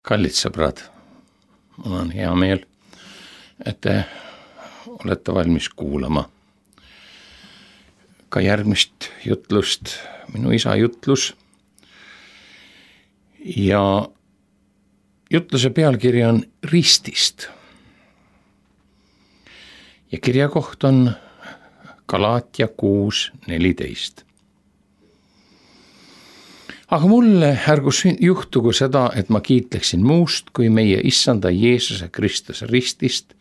Kallid sõbrad, mul on hea meel, et te olete valmis kuulama ka järgmist jutlust, minu isa jutlus. Ja jutluse pealkiri on Ristist. Ja kirja koht on Galaatia 6:14. Aga mulle ärgu juhtugu seda, et ma kiitleksin muust kui meie issanda Jeesuse Kristuse ristist,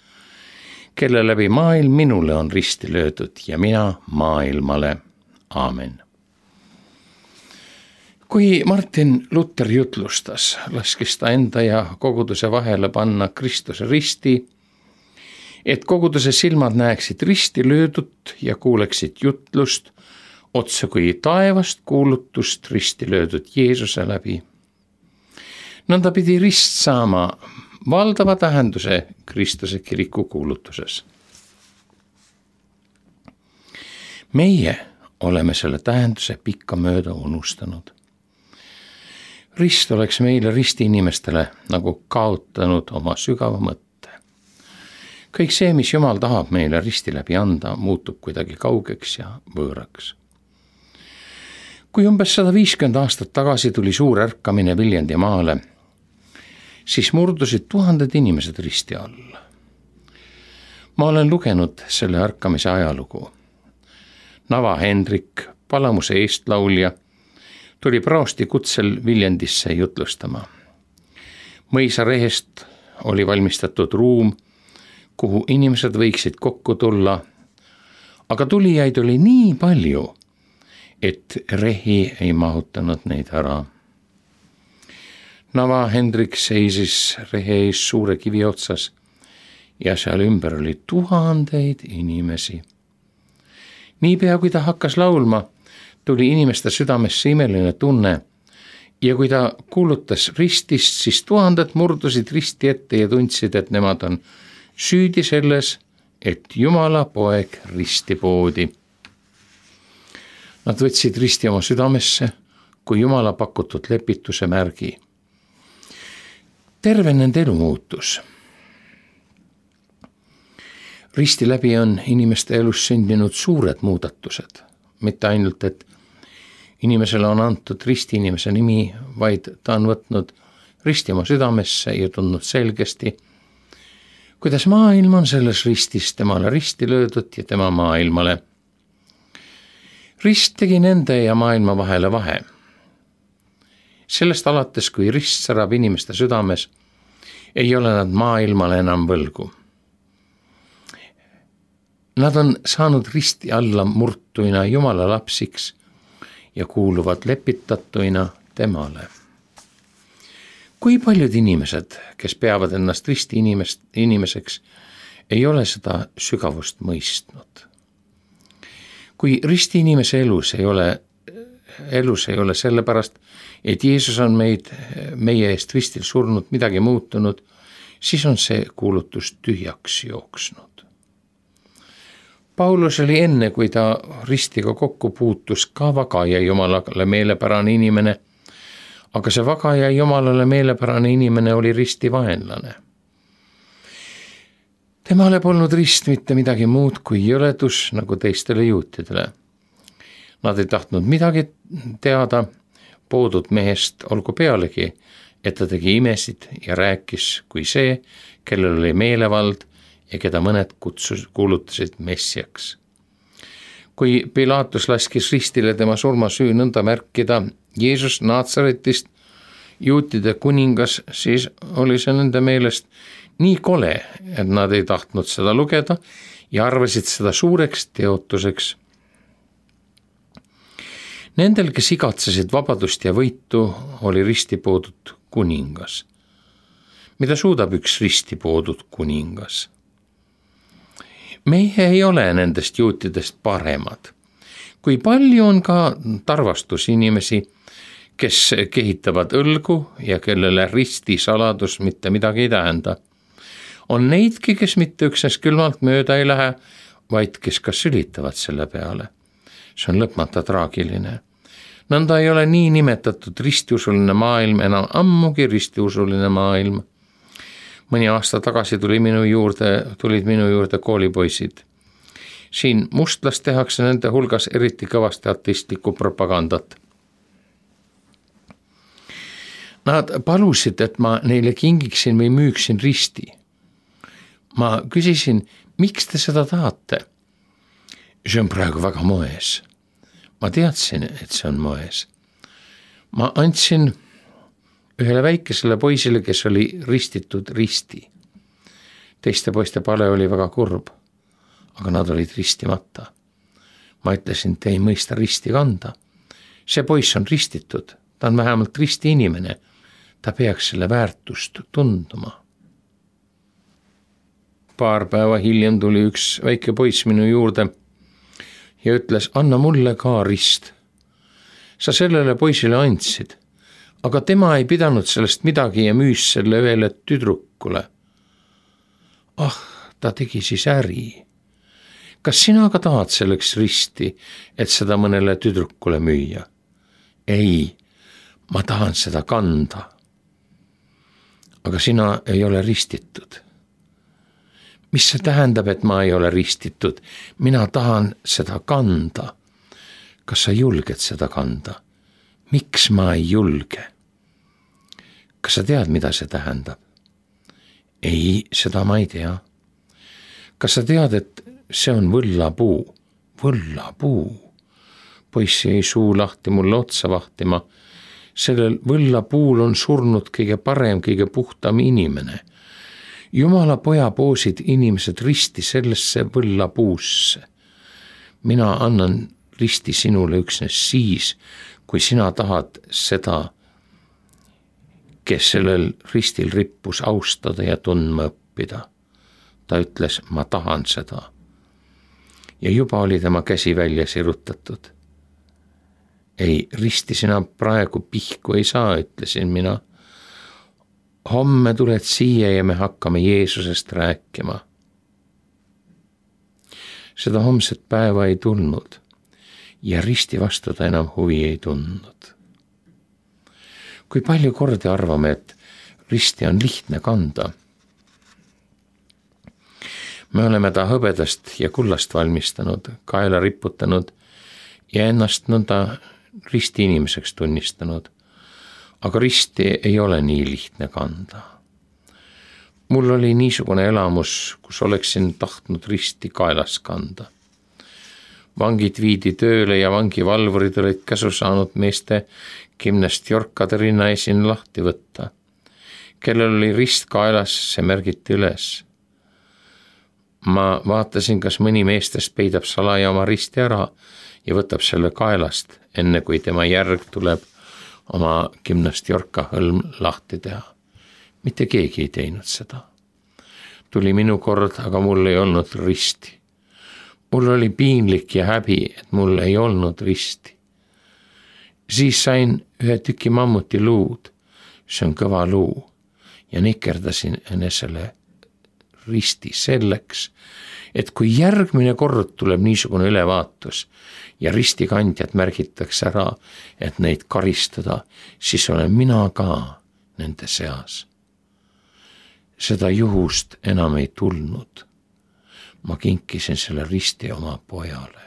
kelle läbi maailm minule on risti löödud ja mina maailmale. Aamen. Kui Martin Luther jutlustas, laskis ta enda ja koguduse vahele panna Kristuse risti, et koguduse silmad näeksid risti löödut ja kuuleksid jutlust otse kui taevast kuulutust risti löödud Jeesuse läbi. Nõnda pidi rist saama valdava tähenduse Kristuse kiriku kuulutuses. Meie oleme selle tähenduse pikkamööda unustanud. Rist oleks meile risti inimestele nagu kaotanud oma sügava mõtte. Kõik see, mis Jumal tahab meile risti läbi anda, muutub kuidagi kaugeks ja võõraks. Kui umbes 150 aastat tagasi tuli suur ärkamine Viljandi maale, siis murdusid tuhanded inimesed risti alla. Ma olen lugenud selle ärkamise ajalugu. Nava Hendrik, Palamuse eestlaulja, tuli praosti kutsel Viljandisse jutlustama. Mõisarehest oli valmistatud ruum, kuhu inimesed võiksid kokku tulla, aga tulijaid oli nii palju, et rehi ei mahutanud neid ära. Nava Hendrik seisis rehe ees suure kivi otsas ja seal ümber oli tuhandeid inimesi. Niipea kui ta hakkas laulma, tuli inimeste südamesse imeline tunne ja kui ta kuulutas ristist, siis tuhanded murdusid risti ette ja tundsid, et nemad on süüdi selles, et Jumala poeg risti poodi. Nad võtsid risti oma südamesse kui Jumala pakutud lepituse märgi. Terve nende elu muutus. Risti läbi on inimeste elus sündinud suured muudatused. Mitte ainult, et inimesele on antud risti inimese nimi, vaid ta on võtnud risti oma südamesse ja tundnud selgesti, kuidas maailm on selles ristis temale risti löödud ja tema maailmale. Rist tegi nende ja maailma vahele vahe. Sellest alates, kui rist särab inimeste südames, ei ole nad maailmale enam võlgu. Nad on saanud risti alla murtuina Jumala lapsiks ja kuuluvad lepitatuina temale. Kui paljud inimesed, kes peavad ennast risti inimeseks, ei ole seda sügavust mõistnud. Kui risti inimese elus ei ole sellepärast, et Jeesus on meie eest ristil surnud, midagi muutunud, siis on see kuulutus tühjaks jooksnud. Paulus oli enne, kui ta ristiga kokku puutus, ka vagaja Jumalale meelepärane inimene, aga see vagaja Jumalale meelepärane inimene oli risti vaenlane. Temale polnud rist mitte midagi muud kui jõledus nagu teistele juutidele. Nad ei tahtnud midagi teada poodud mehest, olgu pealegi, et ta tegi imesid ja rääkis kui see, kellel oli meelevald ja keda mõned kuulutasid messiaks. Kui Pilatus laskis ristile tema surmasüü nõnda märkida Jeesus Naatsaretist, juutide kuningas, siis oli see nende meelest nii kole, et nad ei tahtnud seda lugeda ja arvasid seda suureks teotuseks. Nendel, kes igatsesid vabadust ja võitu, oli risti poodud kuningas. Mida suudab üks risti poodud kuningas? Meie ei ole nendest juutidest paremad. Kui palju on ka tarvastusinimesi, kes kehitavad õlgu ja kellele risti saladus mitte midagi ei tähenda. On neidki, kes mitte üksnes külmalt mööda ei lähe, vaid kes ka sülitavad selle peale. See on lõpmata traagiline. Nõnda ei ole nii nimetatud ristiusuline maailm enam ammugi ristiusuline maailm. Mõni aasta tagasi tulid minu juurde koolipoisid. Siin mustlas tehakse nende hulgas eriti kõvasti ateistlikku propagandat. Nad palusid, et ma neile kingiksin või müüksin risti. Ma küsisin, miks te seda tahate? See on praegu väga moes. Ma teadsin, et see on moes. Ma andsin ühele väikesele poisile, kes oli ristitud risti. Teiste poiste pale oli väga kurb, aga nad olid ristimata. Ma ütlesin, te ei mõista risti kanda. See poiss on ristitud, ta on vähemalt risti inimene. Ta peaks selle väärtust tunduma. Paar päeva hiljem tuli üks väike poiss minu juurde ja ütles, anna mulle ka rist. Sa sellele poisile andsid, aga tema ei pidanud sellest midagi ja müüs selle ühele tüdrukule. Ta tegi siis äri. Kas sina ka tahad selleks risti, et seda mõnele tüdrukule müüa? Ei, ma tahan seda kanda. Aga sina ei ole ristitud. Mis see tähendab, et ma ei ole ristitud? Mina tahan seda kanda. Kas sa julged seda kanda? Miks ma ei julge? Kas sa tead, mida see tähendab? Ei, seda ma ei tea. Kas sa tead, et see on võllapuu? Võllapuu. Poiss jäi suu lahti mulle otsa vahtima. Sellel võllapuul on surnud kõige parem, kõige puhtam inimene. Jumala poja poosid inimesed risti sellesse võllapuusse. Mina annan risti sinule üksnes siis, kui sina tahad seda, kes sellel ristil rippus, austada ja tundma õppida. Ta ütles, ma tahan seda. Ja juba oli tema käsi välja sirutatud. Ei, risti sina praegu pihku ei saa, ütlesin mina. Homme tuled siia ja me hakkame Jeesusest rääkima. Seda homset päeva ei tulnud ja risti vastu ta enam huvi ei tundnud. Kui palju kordi arvame, et risti on lihtne kanda. Me oleme ta hõbedast ja kullast valmistanud, kaela riputanud ja ennast nõnda risti inimeseks tunnistanud. Aga risti ei ole nii lihtne kanda. Mul oli niisugune elamus, kus oleksin tahtnud risti kaelas kanda. Vangid viidi tööle ja vangivalvurid olid käsu saanud meeste kümnest jorkade rinna esin lahti võtta. Kellel oli rist kaelas, see märgiti üles. Ma vaatasin, kas mõni meestest peidab salaja oma risti ära ja võtab selle kaelast, enne kui tema järg tuleb oma 10 jorka hõlm lahti teha. Mitte keegi ei teinud seda. Tuli minu kord, aga mul ei olnud risti. Mul oli piinlik ja häbi, et mul ei olnud risti. Siis sain ühe tüki mammuti luud, see on kõva luu, ja nikerdasin enesele risti selleks, et kui järgmine kord tuleb niisugune ülevaatus ja ristikandjad märgitakse ära, et neid karistada, siis olen mina ka nende seas. Seda juhust enam ei tulnud. Ma kinkisin selle risti oma pojale.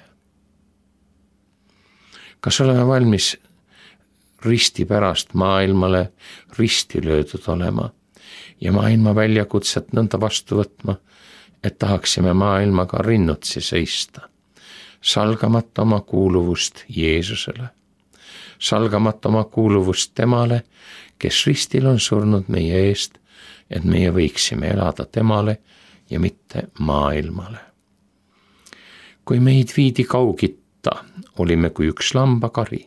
Kas oleme valmis risti pärast maailmale risti löödud olema ja maailma väljakutset nõnda vastu võtma, et tahaksime maailmaga rinnutsi seista, salgamata oma kuuluvust Jeesusele, salgamata oma kuuluvust temale, kes ristil on surnud meie eest, et meie võiksime elada temale ja mitte maailmale. Kui meid viidi Kaugitta, olime kui üks lambakari.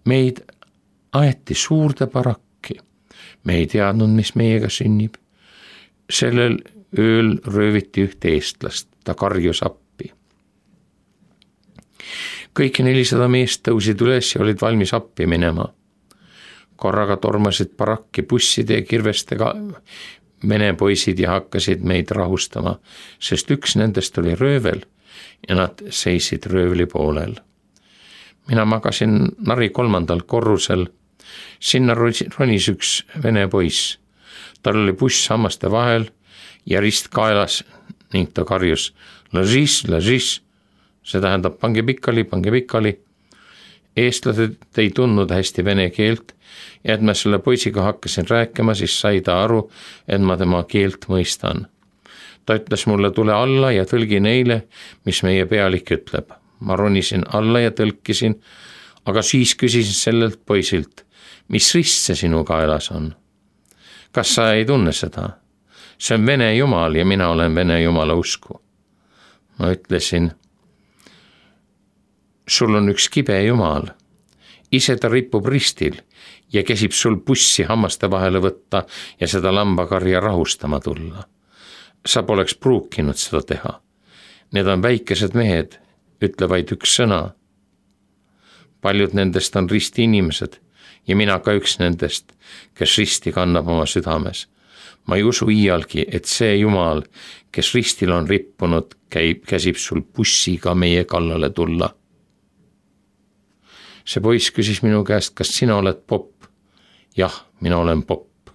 Meid aeti suurde barakki. Me ei teadnud, mis meiega sünnib. Sellel ööl rööviti ühte eestlast, ta karjus appi. Kõik 400 meest tõusid üles ja olid valmis appi minema. Korraga tormasid barakki busside ja kirvestega vene poisid ja hakkasid meid rahustama, sest üks nendest oli röövel ja nad seisid röövli poolel. mina magasin Nari 3. korrusel, sinna ronis üks vene poiss. Tal oli buss hammaste vahel ja rist kaelas ning ta karjus lažis, see tähendab pange pikali. Eestlased ei tundnud hästi vene keelt ja et ma selle poisiga hakkasin rääkima, siis sai ta aru, et ma tema keelt mõistan. Ta ütles mulle, tule alla ja tõlgi neile, mis meie pealik ütleb. Ma ronisin alla ja tõlkisin, aga siis küsisin sellelt poisilt, mis rist see sinu kaelas on? Kas sa ei tunne seda? See on Vene Jumal ja mina olen Vene Jumala usku. Ma ütlesin, sul on üks kibe Jumal. Ise ta ripub ristil ja käsib sul bussi hammaste vahele võtta ja seda lambakarja rahustama tulla. Sa poleks pruukinud seda teha. Need on väikesed mehed, ütle vaid üks sõna. Paljud nendest on risti inimesed ja mina ka üks nendest, kes risti kannab oma südames. Ma ei usu iialgi, et see Jumal, kes ristil on rippunud, käsib sul bussiga meie kallale tulla. See poiss küsis minu käest, kas sina oled popp? Jah, mina olen popp.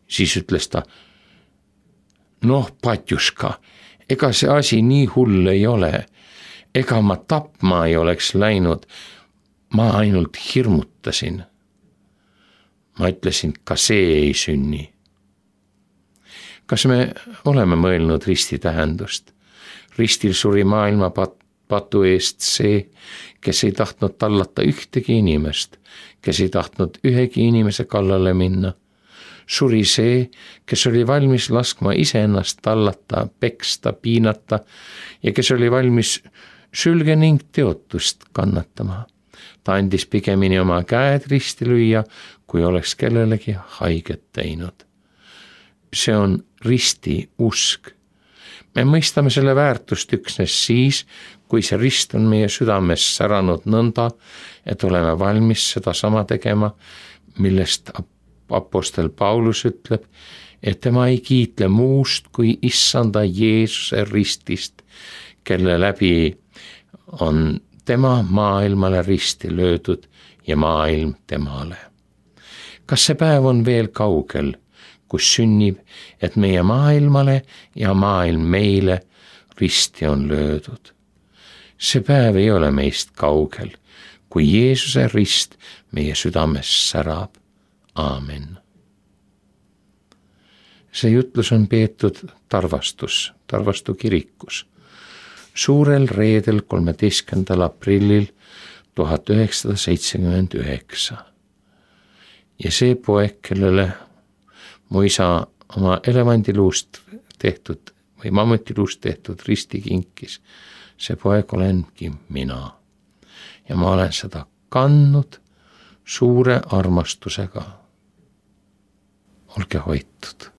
Siis ütles ta, noh, patjuška, ega see asi nii hull ei ole. Ega ma tapma ei oleks läinud, ma ainult hirmutasin. Ma ütlesin, ka see ei sünni. Kas me oleme mõelnud risti tähendust? Ristil suri maailma patu eest see, kes ei tahtnud tallata ühtegi inimest, kes ei tahtnud ühegi inimese kallale minna. Suri see, kes oli valmis laskma iseennast tallata, peksta, piinata ja kes oli valmis sülge ning teotust kannatama. Ta andis pigemini oma käed risti lüüa, kui oleks kellelegi haiget teinud. See on risti usk. Me mõistame selle väärtust üksnes siis, kui see rist on meie südames säranud nõnda, et oleme valmis seda sama tegema, millest apostel Paulus ütleb, et tema ei kiitle muust kui issanda Jeesuse ristist, kelle läbi on tema maailmale risti löödud ja maailm temale. Kas see päev on veel kaugel, kus sünnib, et meie maailmale ja maailm meile risti on löödud? See päev ei ole meist kaugel, kui Jeesuse rist meie südames särab. Aamen. See jutlus on peetud Tarvastu kirikus. Suurel reedel 13. aprillil 1979. Ja see poeg, kellele mu isa oma elevandiluust tehtud või mammutiluust tehtud risti kinkis, see poeg olengi mina. Ja ma olen seda kandnud suure armastusega. Olge hoitud.